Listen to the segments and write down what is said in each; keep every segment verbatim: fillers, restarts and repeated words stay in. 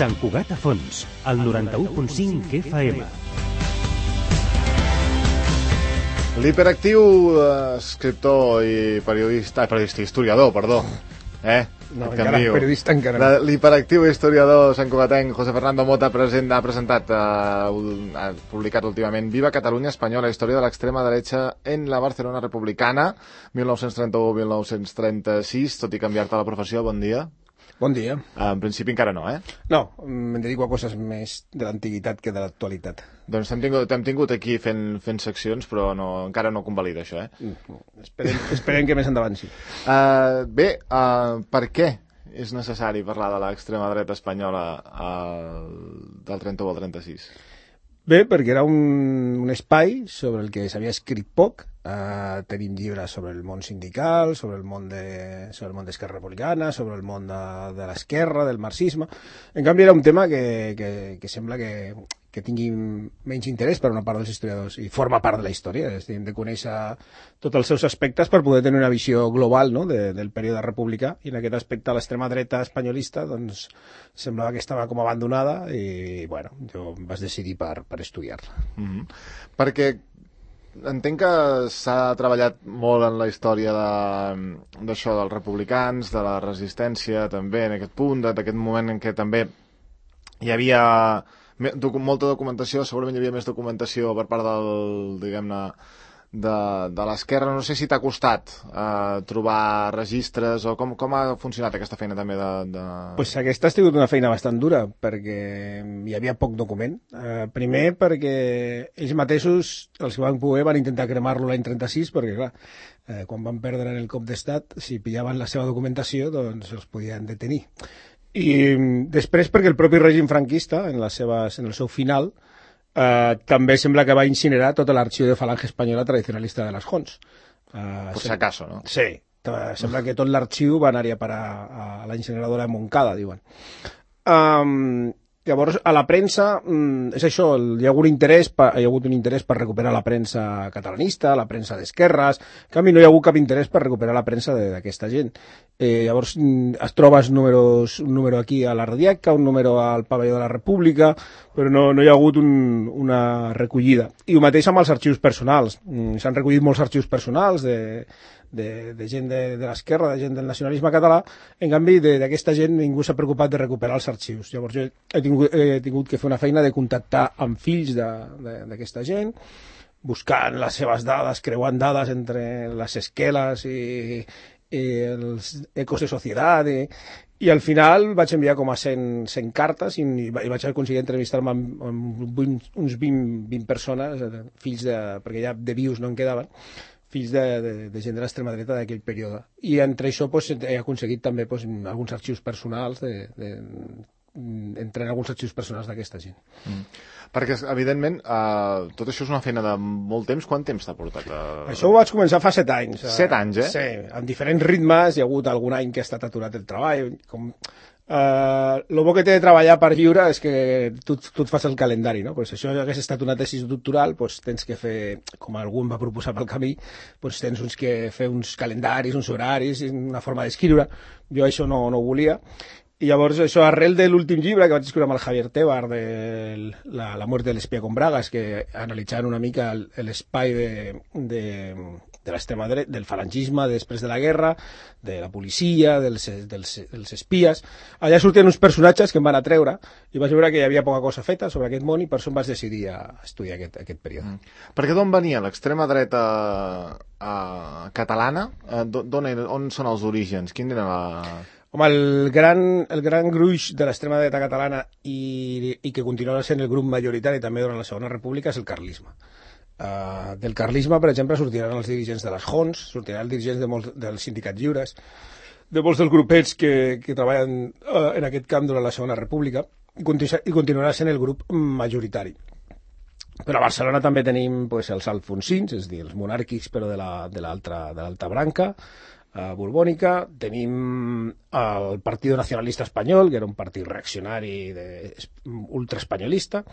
Sant Cugat a Fons, al noranta-u punt cinc F M. L'hiperactiu eh, escriptor i periodista, periodista, historiador, perdó, eh? No, encara, periodista encara no. L'hiperactiu historiador santcugatenc José Fernando Mota present, ha presentat, eh, ha publicat últimament Viva Catalunya Espanyola, història de l'extrema dreta en la Barcelona republicana, mil nou-cents trenta-u a mil nou-cents trenta-sis, tot i canviar-te la professió, bon dia. Bon dia. En principi encara no, eh? No, em dedico a coses més de l'antiguitat que de l'actualitat. Doncs t'hem tingut, t'hem tingut aquí fent, fent seccions, però no, encara no convalida això, eh? Mm, esperem, esperem que més endavant sí. Uh, bé, uh, per què és necessari parlar de l'extrema dreta espanyola uh, del trenta-u al trenta-sis? Bé, perquè era un, un espai sobre el que s'havia escrit poc. Uh, tenim llibres sobre el món sindical, sobre el món de, sobre el món d'Esquerra Republicana, sobre el món de, de l'esquerra, del marxisme. En canvi, era un tema que, que, que sembla que, que tingui menys interès per una part dels historiadors i forma part de la història. És dir, hem de conèixer tots els seus aspectes per poder tenir una visió global, no?, de, del període republicà, i en aquest aspecte l'extrema dreta espanyolista doncs, semblava que estava com abandonada i, bueno, jo em vaig decidir per, per estudiar-la. Mm-hmm. Perquè entenc que s'ha treballat molt en la història d'això de, dels republicans, de la resistència també, en aquest punt, d'aquest moment en què també hi havia molta documentació, segurament hi havia més documentació per part del, diguem-ne, de, de l'esquerra. No sé si t'ha costat eh, trobar registres o com, com ha funcionat aquesta feina també de... de... Pues aquesta ha sigut una feina bastant dura perquè hi havia poc document. Eh, primer perquè ells mateixos, els que van poder, van intentar cremar-lo l'any trenta-sis perquè, clar, eh, quan van perdre en el cop d'estat, si pillaven la seva documentació, doncs els podien detenir. I després perquè el propi règim franquista, en, les seves, en el seu final, eh, també sembla que va incinerar tot l'arxiu de Falange Espanyola tradicionalista de les Jons. Eh, Por si acaso, no? Sí, sembla que tot l'arxiu va anar-hi a parar a la incineradora de Montcada, diuen. Um, Llavors, a la premsa, és això, hi ha hagut interès, hi ha hagut un interès per recuperar la premsa catalanista, la premsa d'esquerres, en canvi no hi ha hagut cap interès per recuperar la premsa d'aquesta gent. Eh, llavors, es trobes números, un número aquí a la Radiaca, un número al Pavelló de la República, però no, no hi ha hagut un, una recollida. I el mateix amb els arxius personals. S'han recollit molts arxius personals de... De, de gent de, de l'esquerra, de gent del nacionalisme català. En canvi, d'aquesta gent ningú s'ha preocupat de recuperar els arxius. Llavors jo he tingut, he tingut que fer una feina de contactar amb fills d'aquesta gent, buscant les seves dades, creuant dades entre les esqueles i, i els ecos de societat, i, i al final vaig enviar com a cent, cent cartes i, i vaig aconseguir entrevistar-me amb, amb uns vint, vint persones, fills de, perquè ja de vius no en quedaven, fills de, de, de gent de l'extrema dreta d'aquell període. I entre això pues, he aconseguit també pues, alguns arxius personals, de, de, entre alguns arxius personals d'aquesta gent. Mm. Perquè, evidentment, uh, tot això és una feina de molt temps. Quant temps t'ha portat? Uh... Això ho vaig començar fa set anys. Set anys, eh? Sí, amb diferents ritmes. Hi ha hagut algun any que ha estat aturat el treball. Com... Uh, lo bo que té de treballar per lliure és que tu, tu et fas el calendari, no? Pues això hagués estat una tesi doctoral, pues tens que fer, com algú em va proposar pel camí, pues tens uns que fer uns calendaris, uns horaris, una forma d'escriure. Jo això no, no ho volia. I llavors això, arrel de l'últim llibre que vaig escriure amb el Javier Tebar, de la, la muerte de l'espia con bragas, que analitzaven una mica l'espai de, de, de l'extrema dreta, del falangisme després de la guerra, de la policia, dels, dels, dels espies. Allà sortien uns personatges que em van atreure i vaig veure que hi havia poca cosa feta sobre aquest món i per això em vaig decidir a estudiar aquest, aquest període. Mm. Perquè d'on venia l'extrema dreta uh, catalana? Uh, d'on, on són els orígens? Quin era la... Home, el gran, el gran gruix de l'extrema dreta catalana i, i que continuarà sent el grup majoritari també durant la Segona República és el carlisme. Uh, del carlisme, per exemple, sortiran els dirigents de les Jons, sortiran els dirigents de molts, dels sindicats lliures, de molts dels grupets que, que treballen uh, en aquest camp durant la Segona República, i, continu i continuarà sent el grup majoritari. Però a Barcelona també tenim pues, els alfonsins, és a dir, els monàrquics, però de l'altra la, de de branca. uh, borbònica, tenim el Partido Nacionalista Espanyol, que era un partit reaccionari de, ultraespanyolista,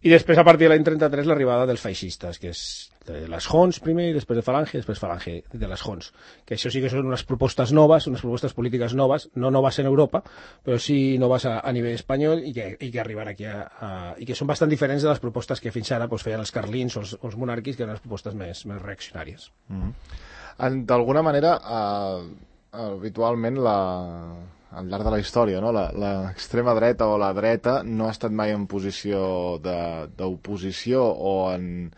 i després, a partir de l'any trenta-tres, l'arribada dels feixistes, que és de les Jons primer, i després de Falange, i després Falange de les Jons, que això sí que són unes propostes noves, unes propostes polítiques noves, no noves en Europa, però sí noves a, a nivell espanyol, i que, i que arriben aquí a, a, i que són bastant diferents de les propostes que fins ara pues, feien els carlins o els, o els monàrquics, que eren les propostes més, més reaccionàries. Mm-hmm. D'alguna manera, eh, habitualment la... al llarg de la història, no? L'extrema dreta o la dreta no ha estat mai en posició d'oposició o en,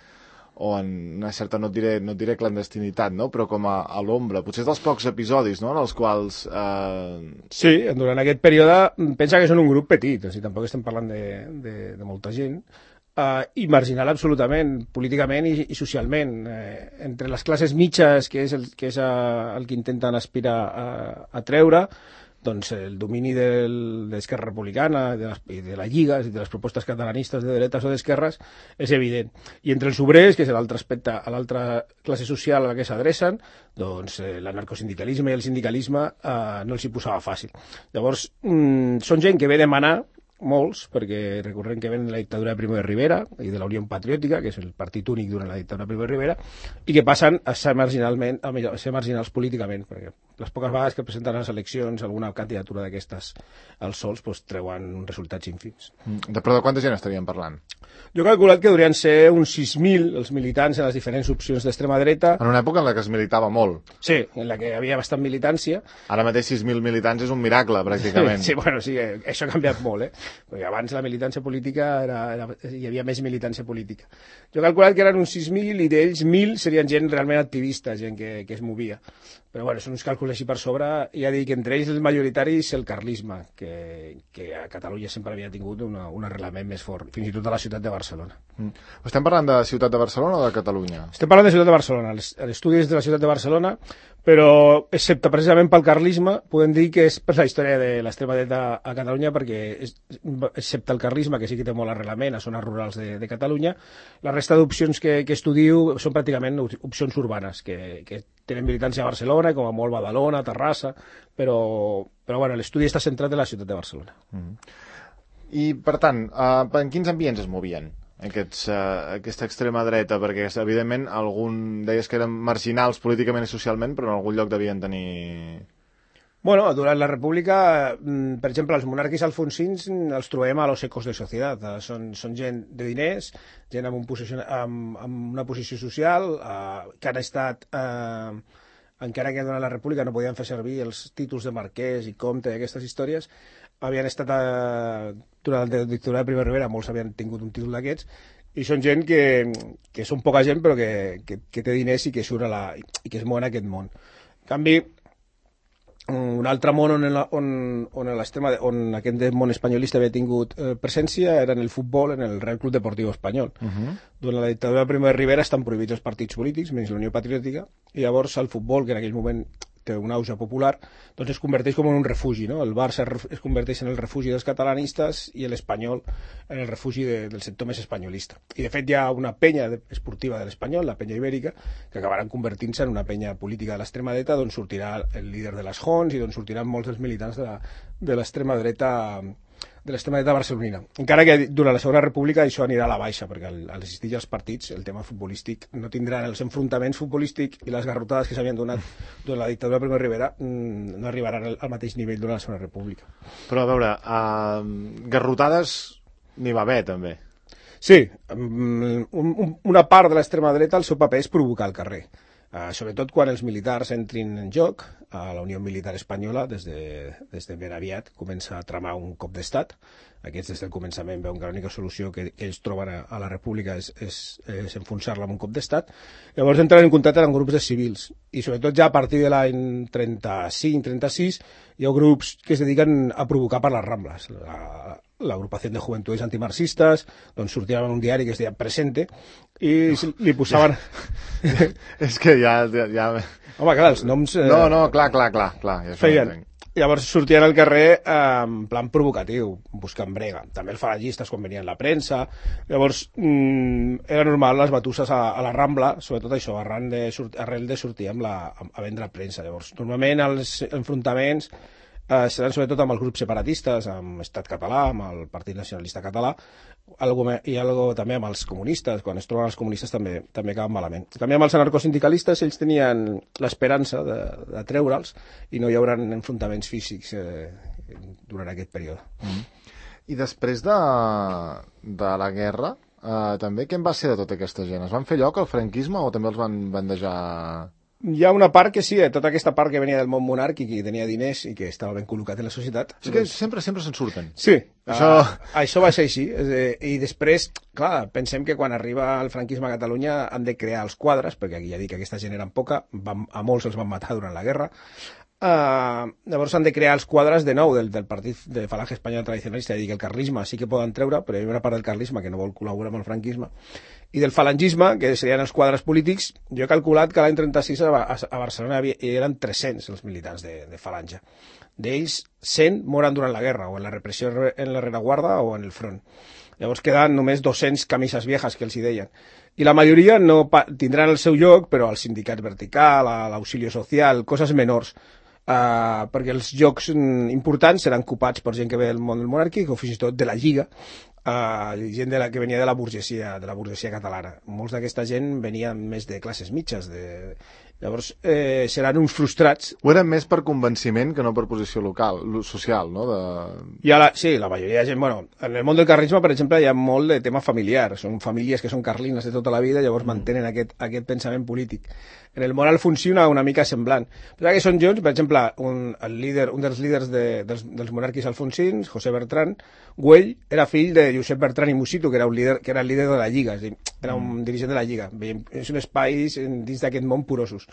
o en una certa, no et diré, no et diré clandestinitat, no? Però com a, a l'ombra. Potser és dels pocs episodis, no?, en els quals... Eh... Sí, durant aquest període pensa que són un grup petit, o sigui, tampoc estem parlant de, de, de molta gent, uh, i marginal absolutament, políticament i, i socialment. Eh, entre les classes mitges, que és el que, és a, el que intenten aspirar a, a treure, doncs el domini del, de l'Esquerra Republicana de les, i de la Lliga i de les propostes catalanistes de dretes o d'esquerres és evident. I entre els obrers, que és l'altre aspecte, a l'altra classe social a la que s'adrecen, doncs eh, l'anarcosindicalisme i el sindicalisme eh, no els hi posava fàcil. Llavors, mm, són gent que ve demanar, molts, perquè recordem que ven de la dictadura de Primo de Rivera i de la Unió Patriòtica, que és el partit únic durant la dictadura de Primo de Rivera, i que passen a ser, marginalment, a ser marginals políticament, perquè les poques vegades que presenten a les eleccions alguna candidatura d'aquestes als sols pues, treuen resultats ínfims. De, però de quanta gent estaríem parlant? Jo he calculat que haurien ser uns sis mil els militants en les diferents opcions d'extrema dreta. En una època en la que es militava molt. Sí, en la que hi havia bastant militància. Ara mateix sis mil militants és un miracle, pràcticament. Sí, sí, bueno, sí, això ha canviat molt, eh? Perquè abans la militància política era, era, hi havia més militància política. Jo he calculat que eren uns sis mil i d'ells mil serien gent realment activista, gent que, que es movia. Però bueno, són uns càlculs així per sobre. Ja dic que entre ells el majoritari és el carlisme, que, que a Catalunya sempre havia tingut una, un arrelament més fort, fins i tot a la ciutat de Barcelona. Mm. Estem parlant de ciutat de Barcelona o de Catalunya? Estem parlant de ciutat de Barcelona. L'estudi és de la ciutat de Barcelona, però excepte precisament pel carlisme, podem dir que és per la història de l'extrema dreta a Catalunya, perquè és, excepte el carlisme, que sí que té molt arrelament a zones rurals de, de Catalunya, la resta d'opcions que, que estudio són pràcticament opcions urbanes, que, que tenen militància a Barcelona, com a molt Badalona, Terrassa, però, però bueno, l'estudi està centrat en la ciutat de Barcelona. Mm. I, per tant, uh, en quins ambients es movien aquests, uh, aquesta extrema dreta? Perquè, evidentment, algun deies que eren marginals políticament i socialment, però en algun lloc devien tenir... Bueno, durant la República, per exemple, els monàrquics alfonsins els trobem a los ecos de societat. Són, són gent de diners, gent amb, un posició, amb, amb una posició social, eh, que han estat, eh, encara que durant la República no podien fer servir els títols de marquès i comte i aquestes històries, havien estat, eh, durant la dictadura de Primo de Rivera, molts havien tingut un títol d'aquests, i són gent que, que són poca gent però que, que, que té diners i que surt a la, i que es mou en aquest món. En canvi, un altre món on, on, on, on aquest món espanyolista havia tingut eh, presència era en el futbol, en el Real Club Deportivo Espanyol. Uh -huh. Durant la dictadura de Primo de Rivera estan prohibits els partits polítics, menys la Unió Patriòtica, i llavors el futbol, que en aquell moment té un auge popular, doncs es converteix com en un refugi, no? El Barça es converteix en el refugi dels catalanistes i l'Espanyol en el refugi de, del sector més espanyolista. I de fet hi ha una penya esportiva de l'Espanyol, la penya ibèrica, que acabaran convertint-se en una penya política de l'extrema dreta, d'on sortirà el líder de les Jons i d'on sortiran molts dels militants de l'extrema dreta de l'extrema dreta barcelonina. Encara que durant la Segona República això anirà a la baixa, perquè al, al existir els partits, el tema futbolístic no tindran els enfrontaments futbolístics i les garrotades que s'havien donat durant la dictadura de Primo de Rivera no arribaran al, al mateix nivell durant la Segona República. Però a veure, uh, garrotades n'hi va haver també. Sí, un, un, una part de l'extrema dreta el seu paper és provocar el carrer. Uh, sobretot quan els militars entrin en joc, a la Unió Militar Espanyola, des de, des de ben aviat, comença a tramar un cop d'estat. Aquests des del començament veuen que l'única solució que, que ells troben a, a la República és, és, és enfonsar-la amb un cop d'estat. Llavors entren en contacte amb grups de civils, i sobretot ja a partir de l'any trenta-cinc trenta sis hi ha grups que es dediquen a provocar per les Rambles. La, l'agrupació de Juventudes Antimarxistes, doncs sortien en un diari que es deia Presente, i no, li posaven... Ja. És que ja, ja... Home, clar, els noms... Eh... No, no, clar, clar, clar, clar ja feien, Llavors sortien al carrer eh, en plan provocatiu, buscant brega. També els falangistes quan venien la premsa. Llavors mm, era normal les batusses a, a la Rambla, sobretot això, arran de, arrel de sortir amb la, a vendre premsa. Llavors, normalment els enfrontaments eh, seran sobretot amb els grups separatistes, amb Estat Català, amb el Partit Nacionalista Català, algo, i algo també amb els comunistes. Quan es troben els comunistes també també acaben malament. També amb els anarcosindicalistes ells tenien l'esperança de, de treure'ls i no hi haurà enfrontaments físics eh, durant aquest període. Mm. I després de, de la guerra, eh, també què en va ser de tota aquesta gent? Es van fer lloc al franquisme o també els van bandejar? Hi ha una part que sí, tota aquesta part que venia del món monàrquic i que tenia diners i que estava ben col·locat en la societat. És que sempre sempre se'n surten. Sí, això... Uh, això va ser així. I després, clar, pensem que quan arriba el franquisme a Catalunya han de crear els quadres, perquè aquí ja dic que aquesta gent eren poca, van, a molts els van matar durant la guerra. Uh, llavors han de crear els quadres de nou del, del partit de Falange Espanyol Tradicionalista, i dir que el carlisme sí que poden treure, però hi ha una part del carlisme que no vol col·laborar amb el franquisme, i del falangisme, que serien els quadres polítics. Jo he calculat que l'any trenta-sis a, a, a Barcelona havia, eren tres-cents els militants de, de Falange. D'ells, cent moren durant la guerra, o en la repressió en la rereguarda o en el front. Llavors queden només dos-cents camises viejas, que els hi deien. I la majoria no tindran el seu lloc, però al sindicat vertical, a l'auxilio social, coses menors. Uh, perquè els llocs importants seran ocupats per gent que ve del món del monàrquic o fins i tot de la Lliga, uh, gent de la, que venia de la burgesia de la burgesia catalana. Molts d'aquesta gent venien més de classes mitges, de... llavors eh, seran uns frustrats. Ho eren més per convenciment que no per posició local, social, no? De... I la, sí, la majoria de gent, bueno, en el món del carlisme, per exemple, hi ha molt de tema familiar, són famílies que són carlines de tota la vida, llavors mm. mantenen aquest, aquest pensament polític. En el món alfonsí una, una mica semblant. Però que són junts, per exemple, un, el líder, un dels líders de, dels, dels monàrquics alfonsins, José Bertran Güell, era fill de Josep Bertran i Musitu, que era, un líder, que era el líder de la Lliga, és dir, era un dirigent de la Lliga. És un espai dins d'aquest món porosos.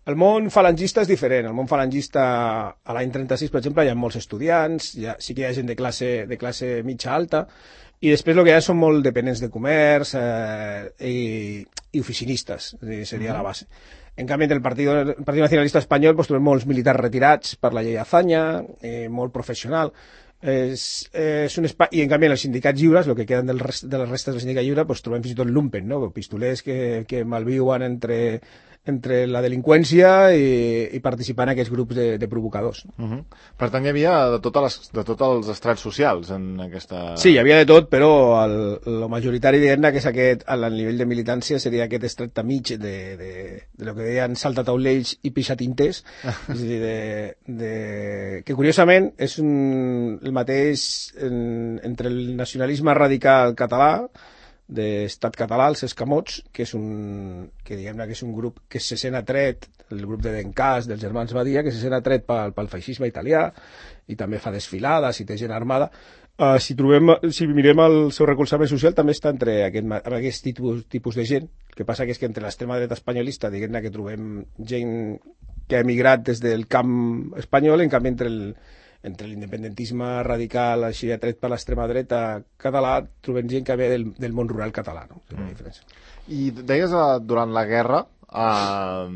El món falangista és diferent. El món falangista a l'any trenta-sis, per exemple, hi ha molts estudiants, hi ha, sí que hi ha gent de classe, de classe mitja alta, i després el que hi ha són molt dependents de comerç eh, i, i oficinistes, seria la base. En canvi, el Partit, el Partit Nacionalista Espanyol pues, trobem molts militars retirats per la llei Azaña, eh, molt professional. És, és un espai... I en canvi, en els sindicats lliures, el que queden del rest, de les restes del sindicat lliure, pues, trobem fins i tot lumpen, no? Pistolers que, que malviuen entre, entre la delinqüència i, i participar en aquests grups de, de provocadors. Uh -huh. Per tant, hi havia de, totes les, de tots els estrats socials en aquesta... Sí, hi havia de tot, però el, el majoritari, diguem-ne, que és aquest, al nivell de militància, seria aquest estret mig de, de, de lo que deien saltataulells i pixatinters, és a dir, de, de, que curiosament és un, el mateix en, entre el nacionalisme radical català, d'estat català, els escamots, que és un, que diguem-ne que és un grup que se sent atret, el grup de Dencàs, dels germans Badia, que se sent atret pel, pel feixisme italià, i també fa desfilades i té gent armada. Uh, si, trobem, si mirem el seu recolzament social, també està entre aquest, aquest tipus, tipus de gent. El que passa que és que entre l'extrema dreta espanyolista, diguem-ne que trobem gent que ha emigrat des del camp espanyol, en canvi entre el entre l'independentisme radical així atret per l'extrema dreta català trobem gent que ve del, del món rural català, no? És una diferència. I deies eh, durant la guerra eh,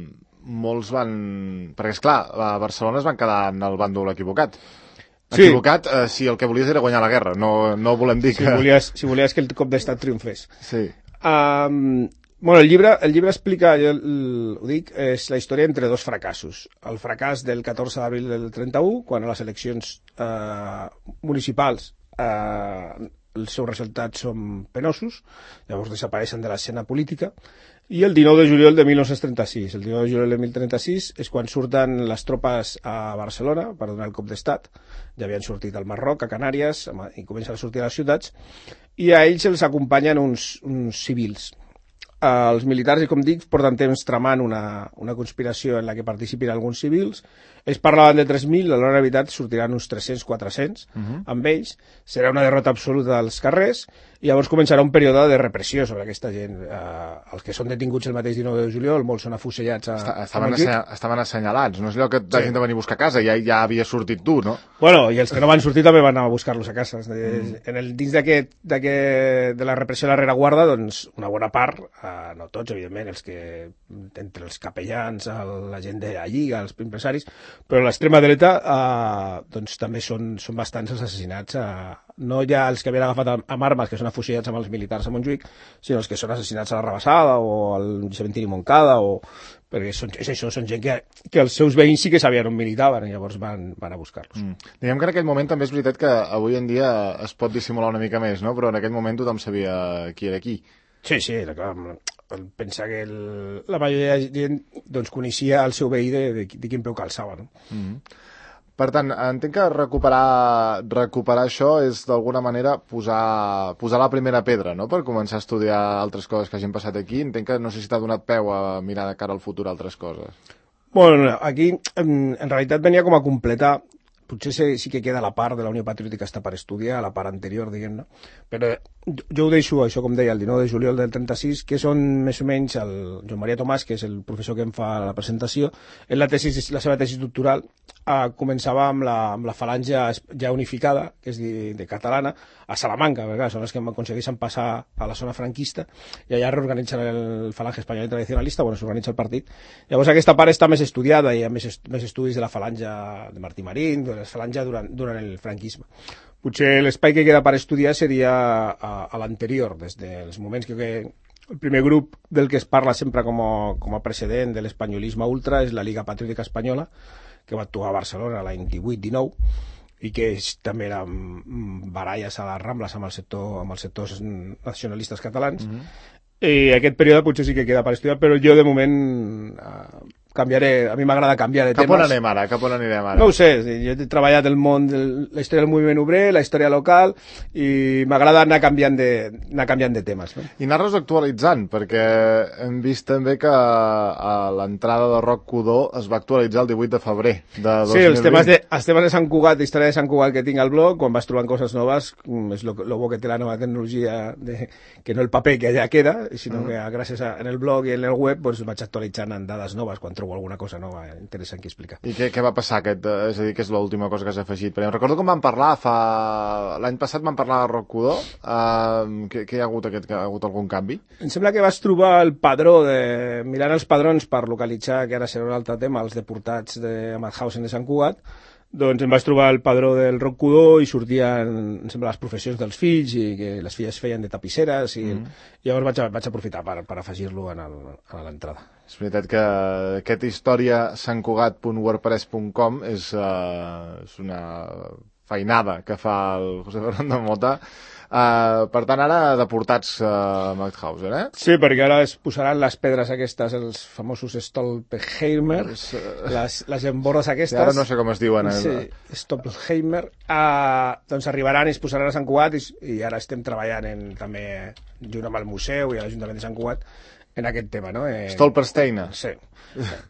molts van... perquè esclar, a Barcelona es van quedar en el bàndol equivocat. Sí. Equivocat eh, si el que volies era guanyar la guerra, no, no volem dir que... Si volies, si volies que el cop d'estat triomfés. Sí. Um, bueno, el llibre, el llibre explica, jo el, ho dic, és la història entre dos fracassos. El fracàs del catorze d'abril del trenta-u, quan a les eleccions eh, municipals eh, els seus resultats són penosos, llavors desapareixen de l'escena política, i el dinou de juliol de mil nou-cents trenta-sis. El dinou de juliol de mil nou-cents trenta-sis és quan surten les tropes a Barcelona per donar el cop d'estat. Ja havien sortit al Marroc, a Canàries, i comencen a sortir a les ciutats, i a ells els acompanyen uns, uns civils. Uh, els militars, i com dic, porten temps tramant una, una conspiració en la que participin alguns civils. Ells parlaven de tres mil, a l'hora de veritat sortiran uns tres-cents quatre-cents uh -huh. amb ells. Serà una derrota absoluta als carrers, i llavors començarà un període de repressió sobre aquesta gent. Uh, els que són detinguts el mateix dinou de juliol, molts són afusellats a... Està, estaven, a estaven assenyalats, no és allò que t'hagin sí. de venir a buscar a casa, ja, ja havia sortit tu, no? Bueno, i els que no van sortir també van anar a buscar-los a casa. Mm. En el, dins d'aquest de la repressió de la rereguarda, doncs, una bona part, uh, no tots, evidentment, els que, entre els capellans, el, la gent de la Lliga, els empresaris, però a l'extrema dreta eh, doncs també són, són bastants els assassinats, eh, no ja els que havien agafat amb armes, que són afusillats amb els militars a Montjuïc, sinó els que són assassinats a la Rabassada o al cementiri Montcada, o... perquè són, és això, són gent que, que els seus veïns sí que sabien on militaven i llavors van, van a buscar-los. Mm. Diguem que en aquell moment també és veritat que avui en dia es pot dissimular una mica més, no? Però en aquell moment tothom sabia qui era qui. Sí, sí, clar, pensa que el, la majoria de gent doncs, coneixia el seu veí de, de, de quin peu calçava, no? Mm-hmm. Per tant, entenc que recuperar, recuperar això és d'alguna manera posar, posar la primera pedra, no?, per començar a estudiar altres coses que hagin passat aquí. Entenc que no sé si t'ha donat peu a mirar de cara al futur altres coses. Bueno, aquí en, en realitat venia com a completar. Potser sí, sí que queda la part de la Unió Patriòtica està per estudiar, la part anterior, diguem-ne, però jo, jo ho deixo, això com deia, el dinou de juliol del trenta-sis, que són més o menys el Joan Maria Tomàs, que és el professor que em fa la presentació, en la, tesis, la seva tesis doctoral eh, començava amb la, amb la falange ja unificada, que és de, de catalana, a Salamanca, perquè clar, són els que aconsegueixen passar a la zona franquista, i allà reorganitzen el falange espanyol tradicionalista, bueno, s'organitza el partit. Llavors aquesta part està més estudiada, hi ha més, est més estudis de la falange de Martí Marín, de la falange durant, durant el franquisme. Potser l'espai que queda per estudiar seria a, a l'anterior, des dels moments que, que el primer grup del que es parla sempre com a, com a precedent de l'espanyolisme ultra és la Lliga Patriòtica Espanyola, que va actuar a Barcelona l'any divuit dinou, i que és, també eren baralles a les Rambles amb, el sector, amb els sectors nacionalistes catalans. Mm-hmm. I aquest període potser sí que queda per estudiar, però jo de moment eh, canviaré, a mi m'agrada canviar de Cap temes. on anem ara? Cap on anirem ara? No ho sé, jo he treballat el món, de la història del moviment obrer, la història local, i m'agrada anar canviant de, anar canviant de temes. No? I anar-los actualitzant, perquè hem vist també que a l'entrada de Roc Codó es va actualitzar el divuit de febrer de dos mil vint. Sí, els temes de, els temes de Sant Cugat, de història de Sant Cugat que tinc al blog, quan vas trobant coses noves, és lo, lo bo que té la nova tecnologia, de, que no el paper que allà queda, sinó mm. que gràcies a, en el blog i en el web pues, vaig actualitzant en dades noves quan trobo alguna cosa nova interessant que explicar. I què, què va passar aquest, és a dir, que és l'última cosa que has afegit? Perquè em recordo com vam parlar fa... l'any passat vam parlar de Roc Codó, uh, que, que hi ha hagut aquest, que hi ha hagut algun canvi? Em sembla que vas trobar el padró de... mirant els padrons per localitzar, que ara serà un altre tema, els deportats de Mauthausen de Sant Cugat. Doncs em vaig trobar el padró del Roc Codó i sortien, em sembla, les professions dels fills i que les filles feien de tapisseres i, mm. i llavors vaig, vaig aprofitar per, per afegir-lo a l'entrada. És veritat que aquest història santcugat punt wordpress punt com és, uh, és una feinada que fa el José Fernando Mota. Uh, per tant, ara deportats a uh, Mauthausen, eh? Sí, perquè ara es posaran les pedres aquestes, els famosos Stolpenheimer, uh, les, les embordes aquestes. Sí, ara no sé com es diuen. Eh? Sí, Stolpenheimer. Uh, doncs arribaran i es posaran a Sant Cugat i, i ara estem treballant en, també junt amb el museu i l'Ajuntament de Sant Cugat en aquest tema, no? En... Stolpersteiner. Sí.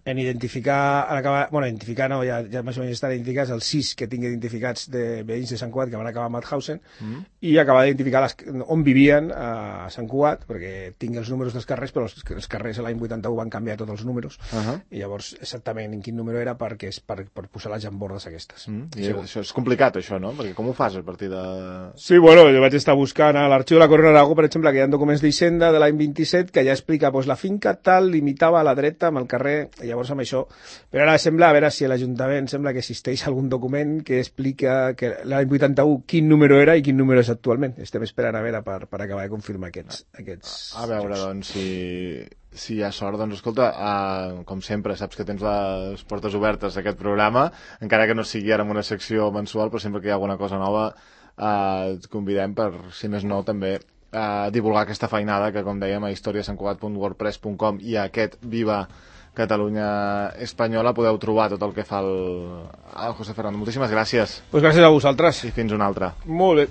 En identificar, en acabar, bueno, identificar no, ja, ja més o menys estan identificats els sis que tinc identificats de veïns de Sant Cugat que van acabar a Mauthausen mm. i acabar d'identificar les, on vivien a Sant Cugat, perquè tinc els números dels carrers, però els, els carrers l'any vuitanta-u van canviar tots els números uh -huh. i llavors exactament en quin número era perquè és per, per posar les jambordes aquestes. Mm. I sí. Això és complicat, això, no? Perquè com ho fas a partir de... Sí, bueno, jo vaig estar buscant a l'arxiu de la Corona d'Aragó, per exemple, que hi ha documents d'Hisenda de l'any vint-i-set que ja explica pues, la finca tal limitava a la dreta amb el carrer, i llavors amb això, però ara sembla, a veure si l'Ajuntament sembla que existeix algun document que explica que l'any vuitanta-u quin número era i quin número és actualment. Estem esperant a veure per, per acabar de confirmar aquests, aquests a veure, jocs. Doncs, si, si hi ha sort, doncs escolta, uh, com sempre, saps que tens les portes obertes d'aquest programa, encara que no sigui ara en una secció mensual, però sempre que hi ha alguna cosa nova uh, et convidem per, si més no, també uh, divulgar aquesta feinada que, com dèiem, a història santcugat punt wordpress punt com i a aquest Viva Catalunya Espanyola podeu trobar tot el que fa el, el José Fernando. Moltíssimes gràcies. Pues gràcies a vosaltres. I fins una altra. Molt bé.